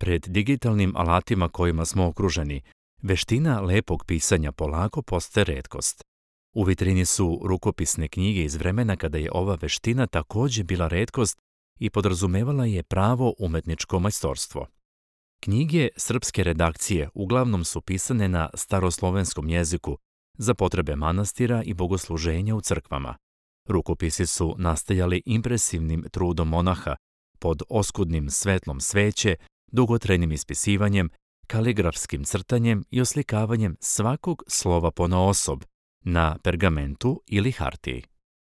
Pred digitalnim alatima kojima smo okruženi, veština lepog pisanja polako postaje retkost. U vitrini su rukopisne knjige iz vremena kada je ova veština također bila retkost i podrazumevala je pravo umetničko majstorstvo. Knjige srpske redakcije uglavnom su pisane na staroslovenskom jeziku za potrebe manastira i bogosluženja u crkvama. Rukopisi su nastajali impresivnim trudom monaha, pod oskudnim svetlom sveće, dugotrajnim ispisivanjem, kaligrafskim crtanjem i oslikavanjem svakog slova ponaosob, na pergamentu ili hartiji.